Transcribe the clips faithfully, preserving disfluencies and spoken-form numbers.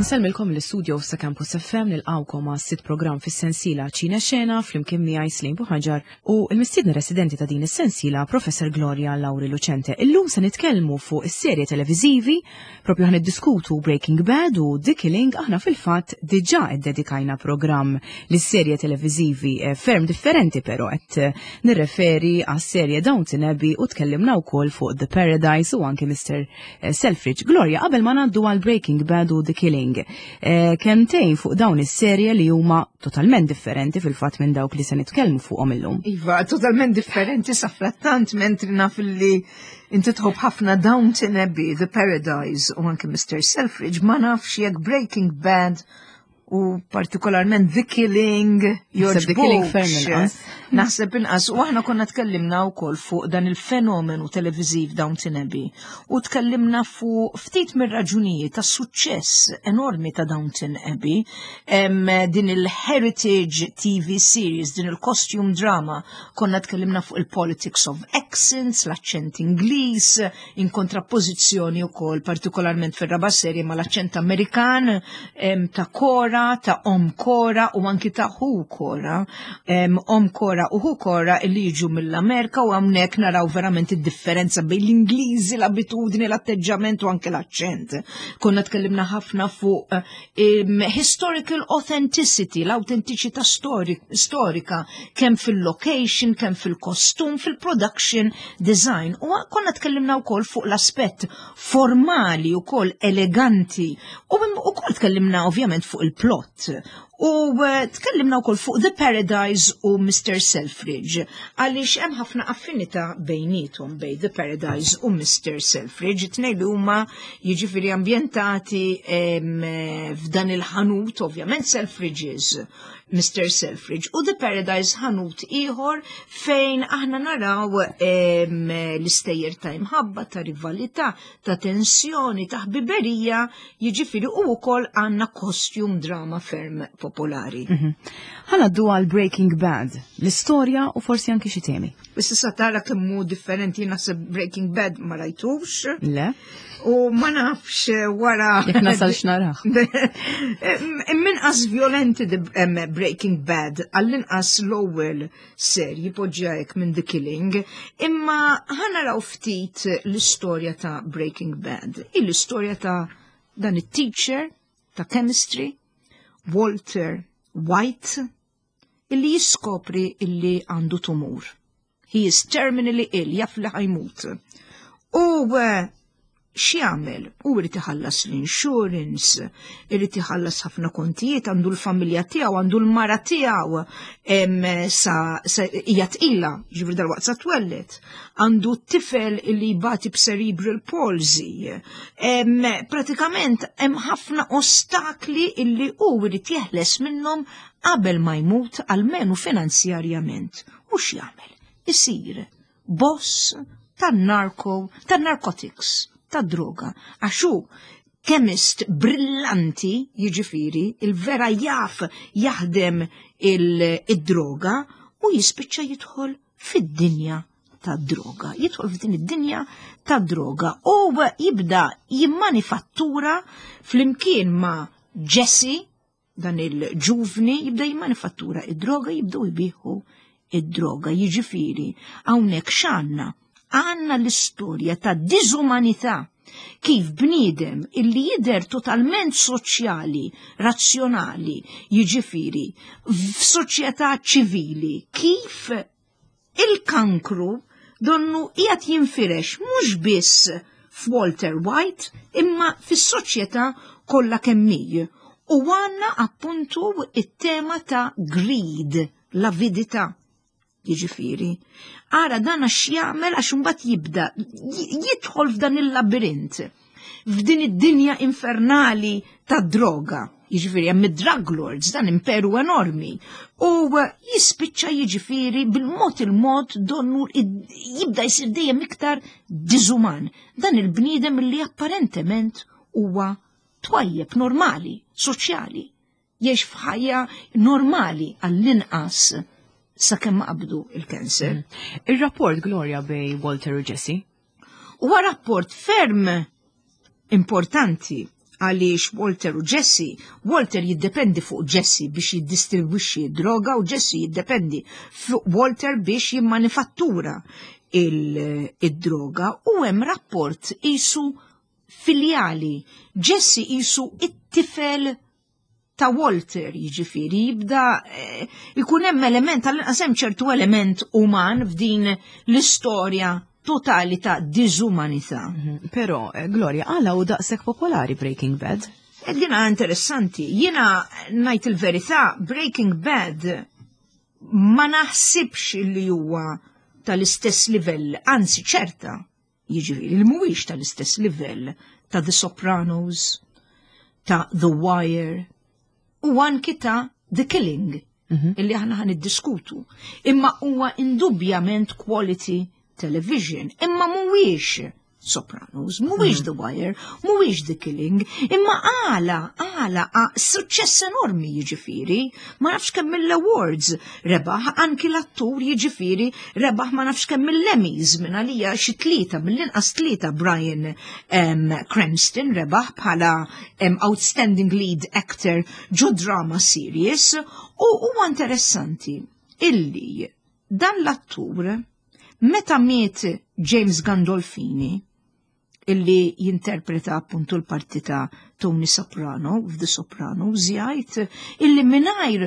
Nsellmilkom l-istudio sa' Campus F M, nilqgħukom għas-sitt programm fis-sensiela Ċine Xena flimkien miegħi Slim Buħaġar u l-mistiedna residenti ta' din is-sensiela, Professor Gloria Lauri Lucente. Illum se nitkellmu fuq is-serje televiżivi, propju ħa niddiskutu Breaking Bad u The Killing. Aħna fil-fatt diġà iddedikajna programm lis-serje televiżivi eh, ferm differenti, però qed eh, nirreferi għas-serje Downton Abbey, u tkellimna wkoll fuq The Paradise u anke Mister eh, Selfridge. Gloria, qabel ma ngħaddu għal Breaking Bad u The Killing, Eh, kelmtejn fuq dawn is-serje li huma totalment differenti fil-fatt minn dawk li se nitkellmu fuqhom illum. Iva, totalment differenti. Safrattant, mentri naf li inti tħobb ħafna Downton Abbey, The Paradise u anke Mister Selfridge, ma nafx jekk Breaking Bad u partikolarment The Killing The Killing ferm inqas. Naħseb inqas. U aħna konna tkellimna wkoll fuq dan il-fenomenu televiżiv Downton Abbey u tkellimna fuq ftit mir-raġunijiet ta' suċċess enormi ta' Downton Abbey, em, din il-heritage T V series, din il-costume drama. Konna tkellimna fuq il-politics of accents, l-aċċent Ingliż, in kontrappożizzjoni wkoll partikolarment fir-raba' serje mal-aċċent Amerikan em, ta' Cora, ta' Om Cora u anki ta' Hu Cora. Em, Om Cora u Hu Cora illi jiġu mill-Amerika, u hawnhekk naraw verament id-differenza bejn l-Ingliżi, l-abitudni, l-atteġġament u anke l-aċċent. Konna tkellimna ħafna fuq em, historical authenticity, l-autentiċità stori- storika, kemm fil-location, kemm fil-kostum, fil-production design. U konna tkellimna wkoll fuq l-aspett formali u eleganti. U wkoll tkellimna ovvjament fuq il-plot. U eh, tkellimna wkoll fuq The Paradise u Mister Selfridge, għaliex hemm ħafna affinità bejnietom, bejn The Paradise u Mister Selfridge, tnejn li huma jiġifieri ambjentati em, eh, f'dan il-ħanut, ovvjament Selfridges, Mister Selfridge, u The Paradise ħanut ieħor fejn aħna naraw em, l-istejjer ta' imħabba, ta' rivalità, ta' tensjoni, ta' ħbiberija, jiġifieri u wkoll għandna costume drama ferm popolari. Ħa ngħaddu għal Breaking Bad, l-istorja u forsi anki xi temi. Issa sa tara kemm hu differenti, naħseb Breaking Bad ma rajtux Le? U ma nafx wara Jekk nasalx narah. Minqas violenti di- em, Breaking Bad, għall-inqas l-ewwel serji poġġajk minn The Killing, imma ħa naraw ftit l-istorja ta' Breaking Bad. Il-istorja ta' dan it-teacher ta' chemistry, Walter White, illi jiskopri illi għandu tumur. He is terminally ill, jaf li ħa jmut. U eh, x'jagħmel? U irid iħallas l-insurance, irid iħallas ħafna kontijiet, għandu l-familja tiegħu, għandu l-mara tiegħu, em, sa, sa hija tqila, ġifieri dalwaqt sa twelled. Għandu tifel li jbati b'cerebral palsy. Em, pratikament hemm ħafna ostakli illi hu irid jeħles minnhom qabel ma jmut, almenu finanzjarjament. U x'jagħmel? Isir boss tan-narko, tan-narcotics, tad-droga. Għax hu chemist brillanti, jiġifieri, il-vera jaf jaħdem il-droga u jispiċċa jidħol fid-dinja tad-droga. Jidħol f'din id-dinja tad-droga u jibda jimmanifattura flimkien ma' Jesse, dan il-ġuvni, jibda jimmanifattura id-droga, jibdew jbigħu id-droga. Jiġifieri, hawnhekk x'għandna? Għandna l-istorja ta' diżumanità, kif bniedem illi jider totalment soċjali, razzjonali, jiġifieri, f'soċjetà ċivili, kif il-kankru donnu qiegħed jinfirex mhux biss f'Walter White imma fis-soċjetà kollha kemm hi. U għandna appuntu it-tema ta' greed, l-avidità. Jiġifieri, ara dan x'jagħmel, għax imbagħad jibda jidħol f'dan il-labirint, f'din id-dinja infernali ta' droga. Jiġifieri hemm id-drug lords, dan imperu enormi. U jispiċċa, jiġifieri, bil-mod il-mod donnu jibda jsir dejjem iktar diżuman. Dan il-bniedem li apparentement huwa twajjeb, normali, soċjali. Jgħix f'ħajja normali, għall-inqas sakemm ma qabdu il-kanser. Il-rapport, Gloria, bejn Walter u Jesse? Huwa rapport ferm importanti Għaliex Walter u Jesse, Walter jiddependi fuq Jesse biex jiddistribwixxi droga u Jesse jiddependi fuq Walter biex jimmanifattura il-droga u hemm rapport qisu filjali. Jesse qisu it-tifel ta' Walter, jiġifieri jibda eh, ikun hemm element, tal-inqas hemm ċertu element uman f'din l-istorja totali ta' diżumanità. Mhm. Però, eh, Gloria, għala hu daqshekk popolari Breaking Bad? E dina interessanti. Jiena ngħid il-verità, Breaking Bad ma naħsibx li huwa tal-istess livell, anzi ċerta, jiġifieri li mhuwiex tal-istess livell ta' The Sopranos, ta' The Wire u anki ta' The Killing, Mhm. illi aħna ħa niddiskutu. Imma huwa indubjament quality television, imma mhuwiex Sopranos, mhuwiex The Wire, mhuwiex The Killing, imma għala, għala, suċċess enormi jiġifieri, ma nafx kemm mill-awards rebaħ, anki l-attur jiġifieri rebaħ ma nafx kemm mill-Emmys, minn għalija xi tlieta, mill-inqas tlieta Bryan um, Cranston rebaħ bħala um, Outstanding Lead Actor ġo drama series u huwa interessanti illi dan l-attur meta miet James Gandolfini, illi jinterpreta appuntu l-parti ta' Tony Soprano f'The Sopranos, jgħid illi mingħajr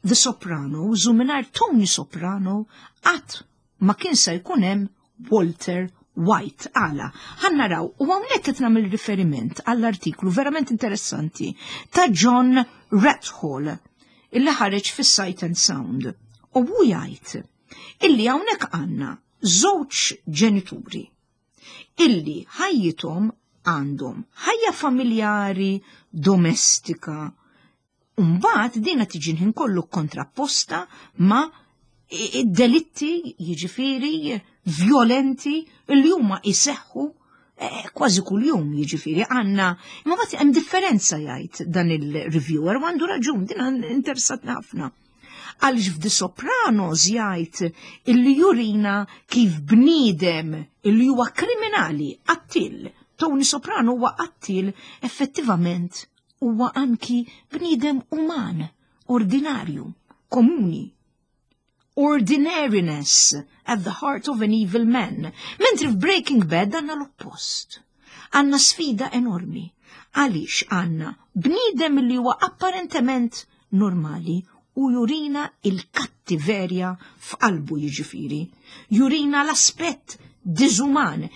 The Sopranos u mingħajr Tony Soprano qatt ma kien se jkun hemm Walter White. Għala, ħa naraw, u hawnhekk qed nagħmel riferiment għall-artiklu verament interessanti ta' John Wrathall illi ħareġ fis-Sight and Sound. U hu jgħid illi hawnhekk għandna żewġ ġenituri illi ħajjithom għandhom ħajja familjari, domestika. Mbagħad dina tiġi ħin kollu kontrapposta ma' delitti, jiġifieri violenti li huma jseħħu eh, kważi kuljum, jiġifieri għandna, imma mbagħad hemm differenza, jgħid dan il-reviewer, u għandu raġun, din interessatni ħafna. Għaliex f'The Sopranos jgħid illi jurina kif bniedem illi huwa kriminali, qattil, Tony Soprano huwa qattil, effettivament huwa anki bniedem uman, ordinarju, komuni. Ordinariness at the heart of an evil man. Mentri f'Breaking Bad għandna l-oppost. Għandna sfida enormi. Għaliex għandna bniedem li huwa apparentement normali u jurina il-kattiverja f'qalbu, jiġifieri. Jurina l-aspett diżuman.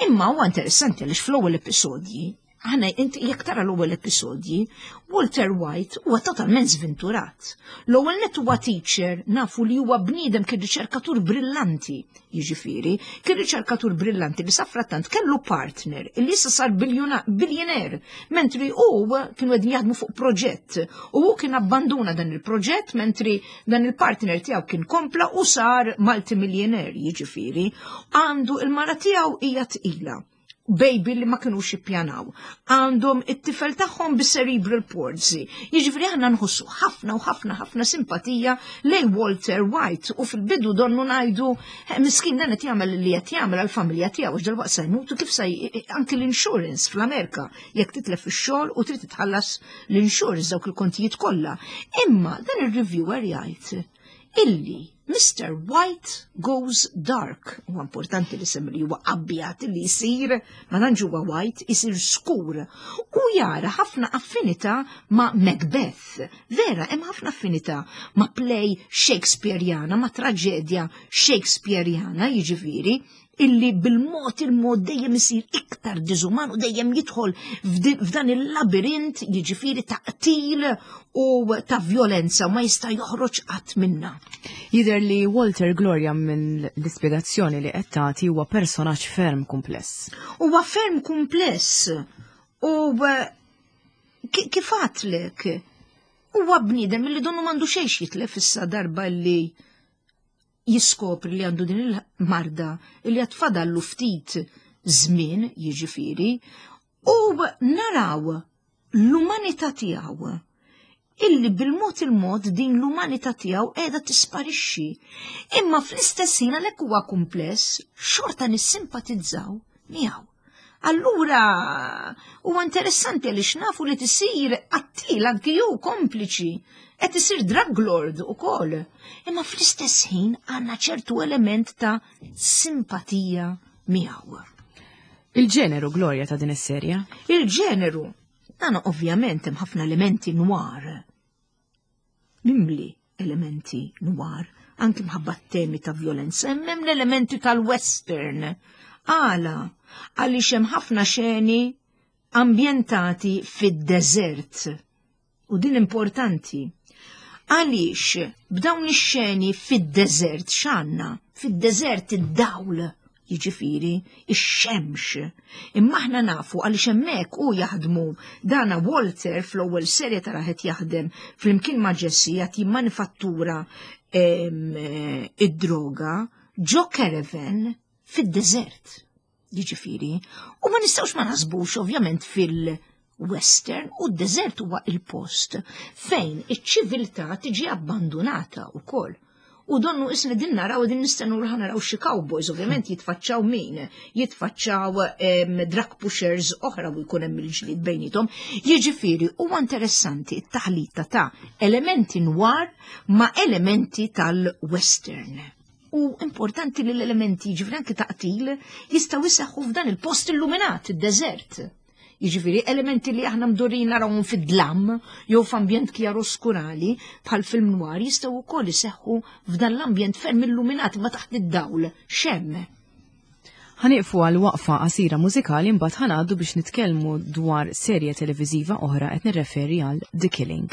Imma huwa interessanti għaliex fl-ewwel episodji, aħna inti jekk tara l-ewwel episodji, Walter White huwa totalment żventurat. L-ewwel net huwa teacher, nafu li huwa bniedem, kien riċerkatur brillanti, jiġifieri, kien riċerkatur brillanti li safrattant kellu partner illi issa sar billionaire, mentri hu kienu qegħdin jaħdmu fuq proġett u hu kien abbanduna dan il-proġett mentri dan il-partner tiegħu kien kompla u sar multimillionaire, jiġifieri. Għandu il-mara tiegħu hija tqila, baby li ma kinux ippjanaw. Għandhom it-tifel tagħhom bi cerebral palsy. Jiġifieri aħna nħossu ħafna u ħafna ħafna simpatija lej Walter White u fil-bidu donnu ngħidu, eh, miskin dan qed jagħmel li qed jagħmel għall-familja tiegħu għax dalwaqt se jmutu, kif se anki l-insurance fl-Amerika jekk titlef ix-xogħol u trid titħallas l-insurance, dawk il-kontijiet kollha. Imma dan ir-reviewer jgħid illi Mister White goes dark. Huwa importanti li sem li huwa abjad li jsir, ma tantx huwa white, isir skur. U jara ħafna affinità ma' Macbeth. Vera, hemm ħafna affinità ma' play Shakespeareana, ma' traġedja Shakespeareana, jiġifieri, illi bil-mod il-mod dejjem isir iktar diżuman u dejjem jidħol f'dan il-labirint, jiġifieri ta' qtil u ta' violenza, u ma jista' joħroġ qatt minna. Jidher li Walter, Gloria, minn l-ispjegazzjoni li qed tagħti, huwa personaġġ ferm kumpless. Huwa ferm kumpless u eh, kif għedtlek huwa bniedem li donnu m'għandu xejn jitlef issa darba li jiskopri li għandu din il-marda, li għad fadallu ftit żmien, jiġifieri, u naraw l-umanità tiegħu illi bil-mod il-mod din l-umanità tiegħu qiegħda tisparixxi. Imma fl-istess ħin, għalhekk huwa kumpless, xorta nissimpatizzaw miegħu. Allura huwa interessanti għaliex nafu li tisir qattil anki ju kompliċi, qed isir drug lord ukoll. Imma fl-istess ħin għandna ċertu element ta' simpatija miegħu. Il-ġeneru, Gloria, ta' din is-serja? Il-ġeneru, dan ovvjament hemm ħafna elementi noir. Mimli elementi noir, anki mħabba temi ta' violenza, hemm l-elementi tal-western. Għala, għaliex hemm ħafna xeni ambjentati fid-deżert. U din importanti. Għaliex b'dawn ix-xeni fid-deżert x'għandna? Fid-deżert id-dawl, jiġifieri ix-xemx. Imma aħna nafu għaliex hemmhekk u jaħdmu dana Walter fl-ewwel serje tara qed jaħdem flimkien ma' Jesse qed jimmanifattura id-droga ġo caravan fid-deżert. Jiġifieri, u ma nistgħux ma naħsbux ovvjament fil-western, u d-deżert huwa il-post fejn iċ-ċiviltà tiġi abbandonata wkoll. U donnu isna din naraw, din nistennu li naraw xi cowboys, ovvjament jitfaċċaw min, jitfaċċaw drug pushers oħra u jkun hemm il-ġlied bejnietom. Jiġifieri huwa interessanti t-taħlita ta' elementi noir ma' elementi tal-western. U importanti li l-elementi, jiġifieri anki taqtil, jistgħu jseħħu f'dan il-post illuminat, id-deżert. Jiġifieri elementi li aħna mdorrin narawhom fid-dlam jew f'ambjent kjaroskurali bħal film noir jistgħu wkoll iseħħu f'dan l-ambjent ferm illuminat ma taħt id-dawl xemm. Ħanieqfu għal waqfa qasira mużikali, mbagħad ħanqaddu biex nitkellmu dwar serje televiżiva oħra, qed nirreferi għal The Killing.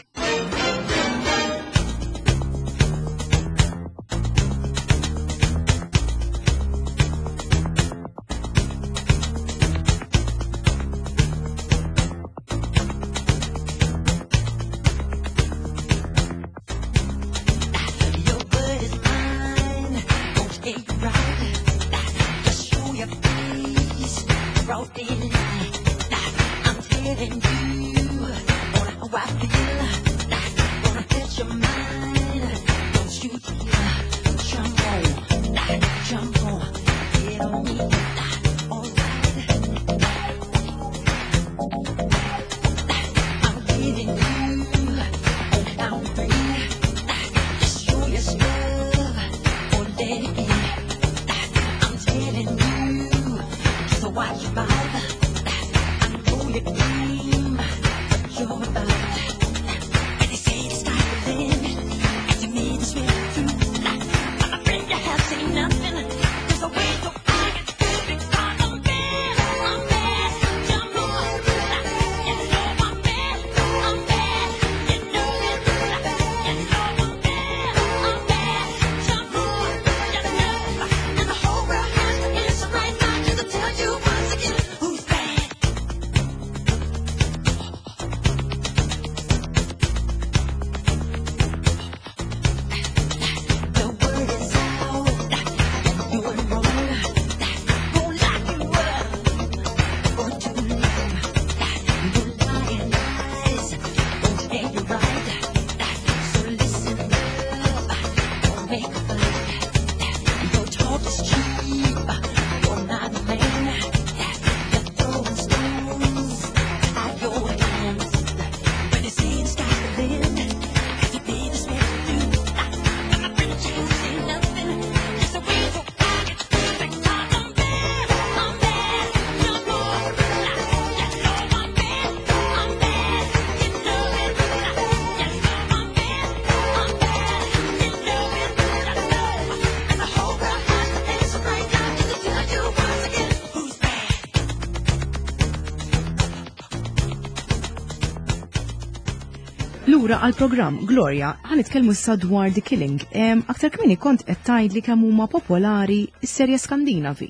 Lura għal-programm, Gloria, ħanitkellmu issa dwar The Killing. Em, aktar kmieni kont qed tgħidli kemm huma popolari s-serje Skandinavi.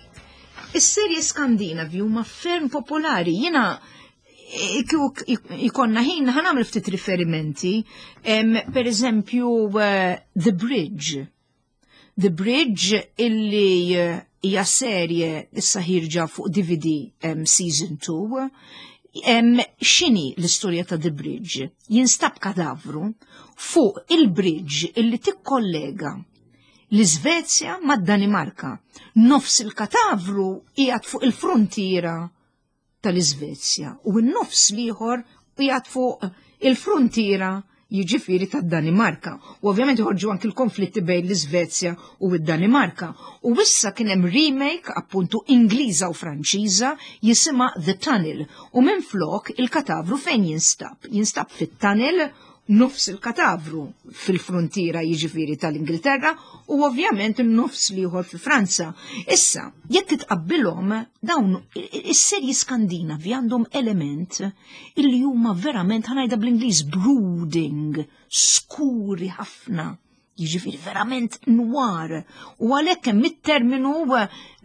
Is-serje Skandinavi huma ferm popolari. Jiena kieku ikonna ħin ħa nagħmel ftit riferimenti. Em, per eżempju, eh, The Bridge. The Bridge illi eh, hija serje issa ħierġa fuq D V D em, season two. Em, x'inhi l-istorja ta' The Bridge? Jinstab kadavru fuq il-bridge illi tikkollega l-Iżvezja mad-Danimarka. Nofs il-katavru qiegħed fuq il-frontiera. tal-Iżvezja u n-nofs l-ieħor qiegħed fuq il-frontiera, jiġifieri tad-Danimarka. U ovvjament joħorġu anki l-konflitti bejn l-Iżvezja u d-Danimarka. U issa kien hemm remake appuntu Ingliża u Franċiża jisimha The Tunnel. U minn flok il-katavru fejn jinstab? Jinstab fit-tunnel, nofs il-katavru fil-frontiera, jiġifieri tal-Ingilterra, u ovvjament nofs l-ieħor fi Franza. Issa, jekk titqabbilhom, dawn is-serji Skandinavi għandhom element illi huma verament, ħa ngħidha bl-Ingliż, brooding, skuri ħafna, jiġifieri verament noir. U għalhekk hemm it-terminu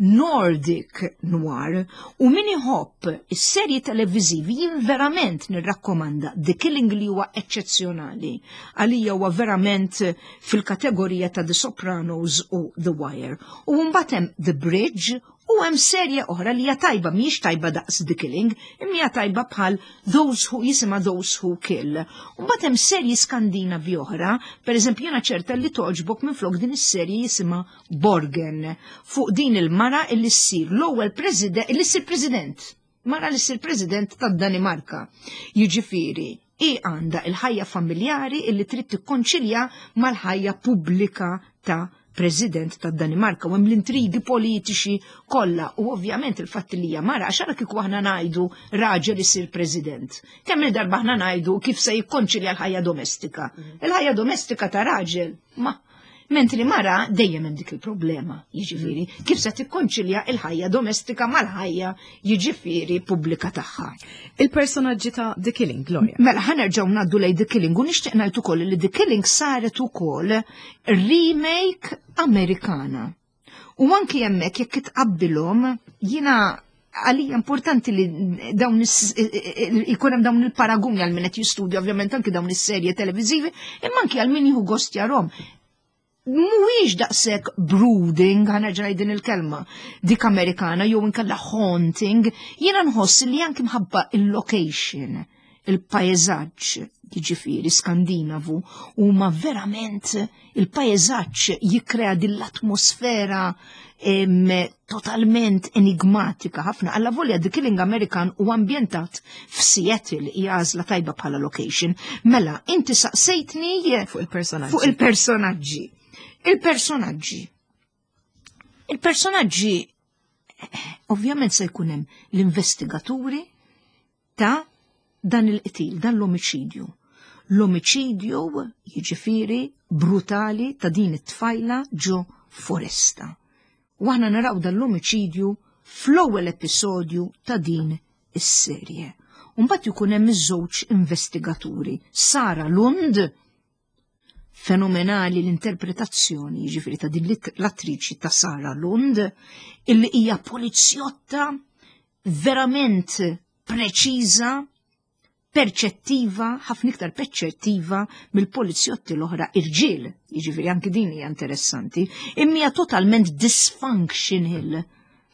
Nordic noir, u min iħobb is-serji televiżivi jien verament nirrakkomanda The Killing li huwa eċċezzjonali. Għalija huwa verament fil-kategorija ta' The Sopranos u The Wire. U mbagħad hemm The Bridge u hemm serje oħra li hija tajba, mhijiex tajba daqs The Killing, imma hija tajba bħal Those Who, jisimha Those Who Kill. U mbagħad hemm serji Skandinavi oħra, pereżempju jiena ċerta li toġbok minflok din is-serje jisimha Borgen, fuq din il-mara illi ssir l-ewwel president, illi ssir president. Mara li ssir president tad-Danimarka. Jiġifieri, i għandha il-ħajja familjari illi trid tikkonċilja mal-ħajja pubblika ta' president tad Danimarka u hemm l-intrigi politiċi kollha u ovvjament il-fatt li hija mara, għax ara kieku aħna ngħidu raġel isir president. Kemm il-darba aħna ngħidu kif se jikkonċilja l-ħajja domestika? Il-ħajja domestika ta' raġel ma Mentri mara dejjem hemm dik il-problema, jiġifieri, kif se tikkonċilja il-ħajja domestika mal-ħajja, jiġifieri, pubblika tagħha. Il-personaġġi ta' The Killing, Gloria. Mela, ħa nerġgħu ngħaddu lej The Killing u nixtieq ngħid ukoll li The Killing saret ukoll remake Amerikana. U anki hemmhekk jekk tqabbilhom, jiena għalija importanti li dawn ikun hemm dawn il-paraguni għal min qed jistudja ovvjament anki dawn is-serje televiżivi, imma anki għal min jieħu gost jarahom. Mhuwiex daqshekk brooding, ħa nerġa' din il-kelma, dik Amerikana, jew inkella haunting, jiena nħoss li anki mħabba il-location, il-pajjeżaġġ, jiġifieri Skandinavu, huma verament il-pajjeżaġġ jikkrea din l-atmosfera totalment enigmatika ħafna. Alla volja The Killing American u ambjentat f'Seattle hija għażla tajba bħala location. Mela, inti saqsejtni fuq il-personaġġi. Fuq il-personaġġi. Il-personaġġi. Il-personaġġi ovvjament se jkun hemm l-investigaturi ta' dan il-qtil, dan l-omiċidju. L-omiċidju, jiġifieri, brutali ta' din it-tfajla ġo foresta. U aħna naraw dan l-omiċidju fl-ewwel episodju ta' din is-serje. Mbagħad jkun hemm iż-żewġ investigaturi, Sara Lund, fenomenali l-interpretazzjoni, jiġifieri, ta' din l-attriċi ta' Sara Lund, illi hija polizjotta verament preċiża, perċettiva, ħafna iktar perċettiva mill-polizjotti l-oħra irġiel, jiġifieri anki din hija interessanti, imma hija totalment dysfunctional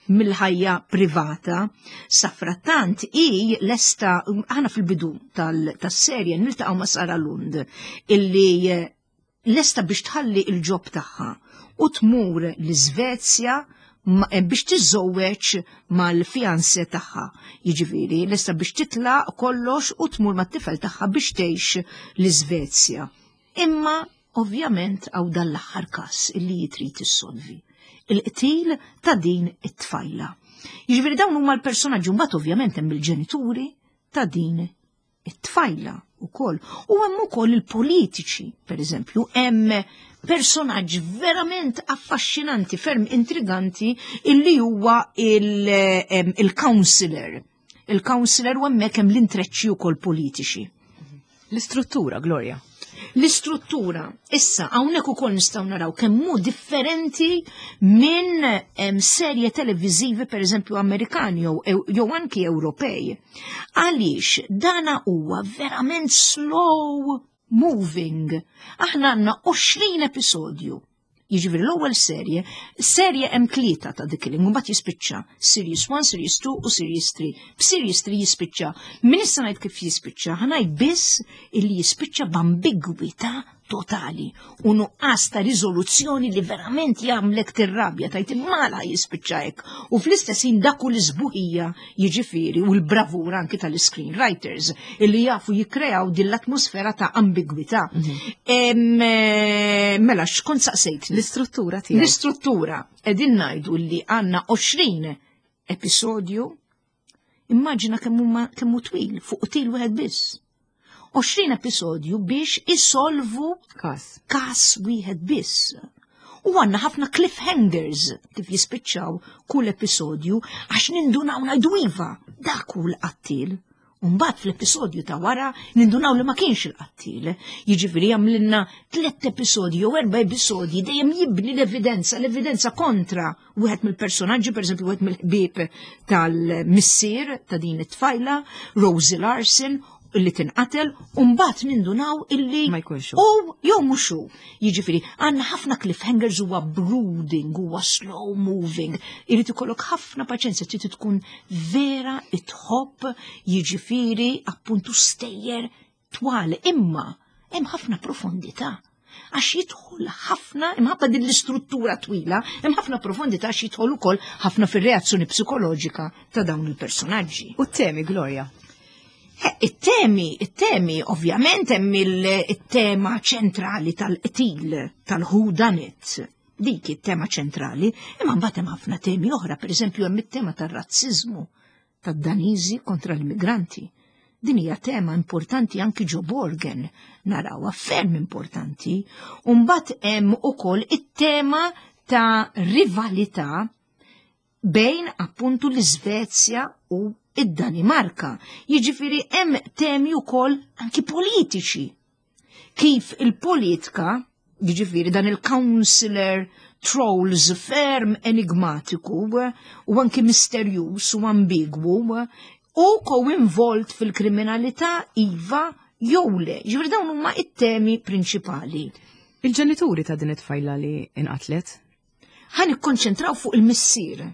mill-ħajja privata. Safrattant i lesta, aħna fil-bidu tas-serje niltaqgħu ma' Sara Lund illi lesta biex tħalli il-job tagħha u tmur l-Iżvezja eh, biex tiżżewweġ mal-fiancé tagħha. Jiġifieri, lesta biex titlaq kollox u tmur mat-tifel tagħha biex tgħix l-Iżvezja. Imma ovvjament hawn dan l-aħħar każ illi trid issolvi. Il-qtil ta' din it-tfajla. Jiġifieri dawn huma l-personaġġi, mbagħad ovvjament hemm il-ġenituri ta' din it-tfajla ukoll. U hemm ukoll il-politiċi, per eżempju, hemm personaġġ verament affaxxinanti, ferm intriganti, illi huwa il-counselor. Il-counselor u hemmhekk hemm l-intreċċi wkoll politiċi. L-istruttura, Gloria. L-istruttura, issa, hawnhekk ukoll nistgħu naraw kemm hu differenti minn em, serje televiżivi, per eżempju Amerikani jew jew anki Ewropej. Għaliex dana huwa verament slow moving. Aħna għandna għoxrin episodju. Jiġifieri l-ewwel serje, serje hemm tlieta ta' The Killing, u mbagħad jispiċċa Series one, Series two u Series three. B'Series three jispiċċa. Min issa ngħid kif jispiċċa, ħa ngħid biss illi jispiċċa b'ambigwità Totali u nuqqas ta' riżoluzzjoni li verament jagħmlek tirrabja, tgħid mala jispiċċa hekk. U fl-istess ħin dak hu l-isbuħija, jiġifieri, u l-bravura anki tal-screenwriters illi jafu jikkreaw din l-atmosfera ta' ambigwità. Em, eh, Mela, x'kont saqsejtni? L-istruttura tiegħu. L-istruttura, qegħdin ngħidu li għandna għoxrin episodju, immaġina kemm huma kemm hu twil fuq qtil wieħed biss. għoxrin episodju biex isolvu Kas. kas wieħed biss. U għandna ħafna cliffhangers kif jispiċċaw kull episodju, għax nindunaw, ngħidu iva, dak hu l-qattil. Mbagħad fl-episodju ta' wara nindunaw li ma kienx il-qattil. Jiġifieri jagħmlilna tliet episodji jew erba' episodji dejjem jibni l-evidenza, l-evidenza kontra wieħed mill-personaġġi, pereżempju wieħed mill-ħbieb tal-missier ta' din it-tfajla, Rosie Larsen, illi tinqatel, u mbagħad nindunaw illi Ma jkunx hu. U jew mhux hu. Jiġifieri għandna ħafna cliffhangers, huwa brooding, huwa slow moving. Irid ikollok ħafna paċenzja, trid tkun vera itħobb, jiġifieri, appuntu stejjer twal, imma hemm ħafna profondità. Għax jidħol ħafna, imħabba din l-istruttura twila, hemm ħafna profondità għax jidħol ukoll ħafna fir-reazzjoni psikoloġika ta' dawn il-personaġġi. U t-temi, Gloria? Eh, It-temi, it-temi, ovvjament hemm il-tema ċentrali tal-qtil, tal-whodunit. Dik it-tema ċentrali, imma mbagħad hemm ħafna temi oħra, pereżempju hemm it-tema tar-razziżmu tad-Daniżi kontra l-immigranti. Din hija tema importanti anki ġo Borgen, narawha ferm importanti. U mbagħad hemm ukoll it-tema ta' rivalità bejn appuntu l-Iżvezja u id-Danimarka. Jiġifieri hemm temi wkoll anki politiċi. Kif il-politika, jiġifieri dan il-counselor Troels ferm enigmatiku u anki misterjuż u ambigwu u ko-involt fil-kriminalità, iva jew le. Jiġifieri dawn huma it-temi prinċipali. Il-ġenituri ta' din it-tfajla li inqatlet? Ħa nikkonċentraw fuq il-missier.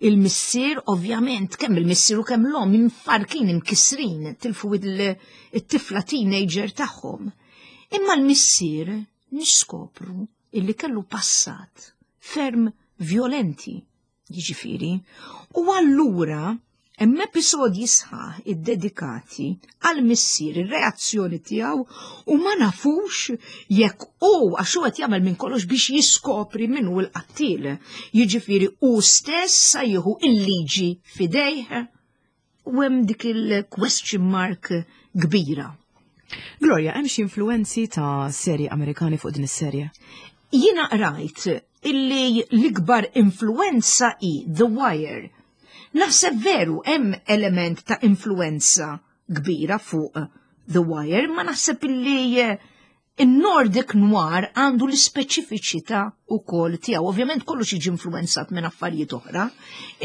Il-missier, ovvjament, kemm il-missier u kemm l-om imfarkin, imkisrin, tilfu il-tifla teenager tagħhom. Imma l-missier niskopru illi kellu passat ferm violenti, jiġifieri, u allura hemm episodji sħaħ iddedikati għal missier, ir-reazzjoni tiegħu, u ma nafux jekk hu, għax hu qed jagħmel minn kollox biex jiskopri min hu l-qattil. Jiġifieri hu stess sa jieħu il-liġi f'idejh u hemm dik il-question mark kbira. Gloria, hemm xi influenzi ta' serji Amerikani fuq din is-serje? Jiena rajt illi l-ikbar influenza hi The Wire. Naħseb veru hemm element ta' influenza kbira fuq The Wire, ma naħseb illi eh, il-Nordic Noir għandu l-ispeċifiċità ukoll tiegħu. Ovvjament kollox jiġi influenzat minn affarijiet oħra,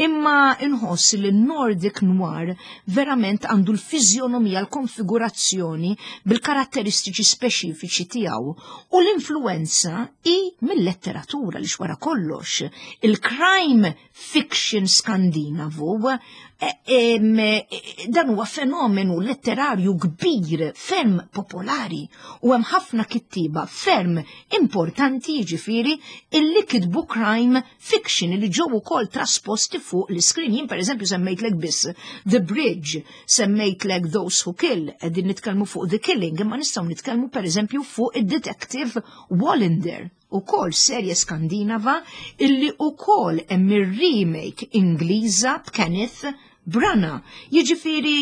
imma inħoss li l-Nordic Noir verament għandu l-fiżjonomija, l-konfigurazzjoni bil-karatteristiċi speċifiċi tiegħu. U l-influenza hi mill-letteratura li wara kollox. Il-crime fiction skandinavu eh, em, eh, dan huwa fenomenu letterarju kbir, ferm popolari, u hemm ħafna kittiba ferm importanti, jiġifieri, illi kitbu crime fiction li ġew ukoll trasposti fuq l-screen. Jien pereżempju semmejtlek biss The Bridge, semmejtlek Those Who Kill, qegħdin nitkellmu fuq The Killing, imma nistgħu nitkellmu pereżempju fuq id-Detective Wallander, ukoll serje skandinava illi ukoll hemm ir-remake Ingliża b'Kenneth Branagh. Jiġifieri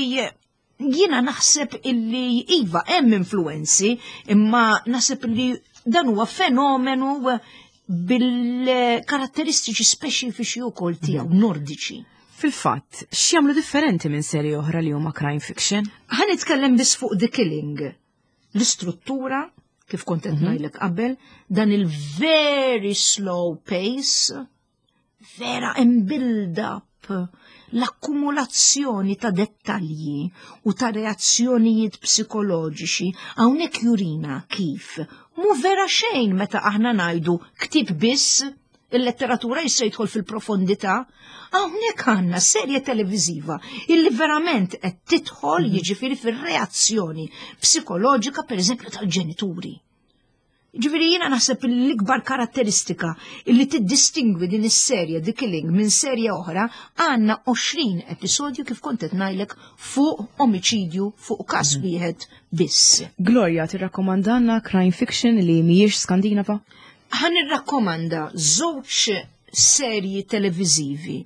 jiena naħseb illi iva hemm influenzi, imma naħseb illi dan huwa fenomenu bil-karatteristiċi speċifiċi wkoll tiegħu nordiċi. Fil-fatt, x'jagħmlu differenti minn serji oħra li huma crime fiction? Ħa nitkellem biss fuq The Killing. L-istruttura, kif kont qed ngħidlek qabel, dan il-very slow pace, vera hemm build-up, l-akkumulazzjoni ta' dettalji u ta' reazzjonijiet psikoloġiċi hawnhekk jurina kif mu vera xejn meta aħna ngħidu ktieb biss, il-letteratura jista' jidħol fil-profondità. Hawnhekk għandna serje televiżiva illi verament qed tidħol, jiġifieri, fir-reazzjoni psikoloġika pereżempju tal-ġenituri. Ġifieri jiena naħseb l-ikbar karatteristika illi tiddistingwi din is-serje The Killing minn serje oħra, għandna għoxrin episodju, kif kont qed ngħidlek, fuq omiċidju, fuq każ wieħed biss. Gloria, tirrakkomandanna crime fiction li mhijiex Skandinava? Ħa nirrakkomanda żewġ serji televizivi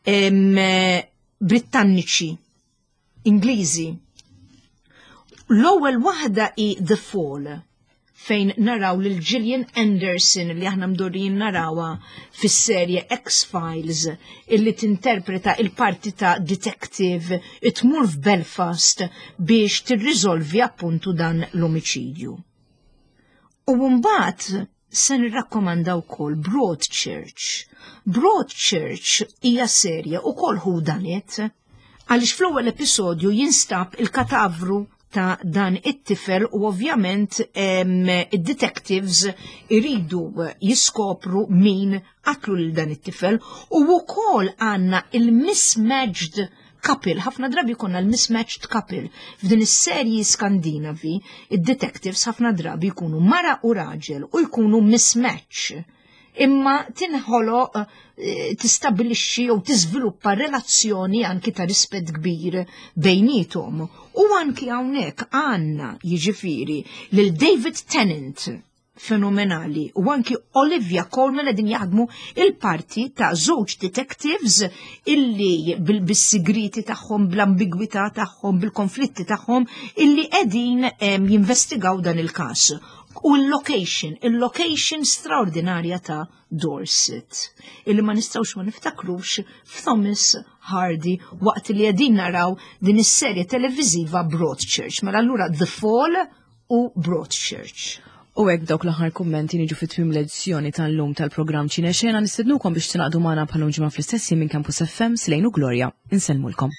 em, Britanniċi, Ingliżi. L-ewwel waħda hi The Fall, fejn naraw lil Gillian Anderson, li aħna mdorrijin narawha fis-serje X-Files, illi tinterpreta il-parti ta' detective tmur f'Belfast biex tirriżolvi appuntu dan l-omiċidju. U mbagħad se nirrakkomanda wkoll Broadchurch. Broadchurch hija serje ukoll whodunit, għaliex fl-ewwel episodju jinstab il-katavru ta' dan it-tifel u ovvjament id-detectives iridu jiskopru min qatlu lil dan it-tifel u wkoll għandna il-mismatched couple, ħafna drabi konna l-mismatched couple. F'din is-serji Skandinavi, id-detectives ħafna drabi jkunu mara u raġel u jkunu mismatch. Imma tinħoloq, eh, tistabilixxi jew tiżviluppa relazzjoni anki ta' rispett kbir bejnietom. U anki hawnhekk għandna, jiġifieri, lil David Tennant fenomenali u anki Olivia Colman qegħdin jaħdmu il-parti ta' żewġ detectives illi bil-sigriti tagħhom, bl-ambigwità tagħhom, bil-konflitti tagħhom, illi qegħdin jinvestigaw dan il-każ. U l-location, il-location straordinarja ta' Dorset, illi ma nistgħux ma niftakrux f'Thomas Hardy waqt li qegħdin naraw din is-serje televiżiva Broadchurch. Mela allura The Fall u Broadchurch. U hekk, dawk l-aħħar kummenti, niġu fit tmiem l-edizzjoni tal-lum tal-programm Ċinexena. Nistednukom biex tingħaqdu magħna bħal ġimgħa fl-istess minn Campus F M. Slejnu Gloria. Insellmulkom.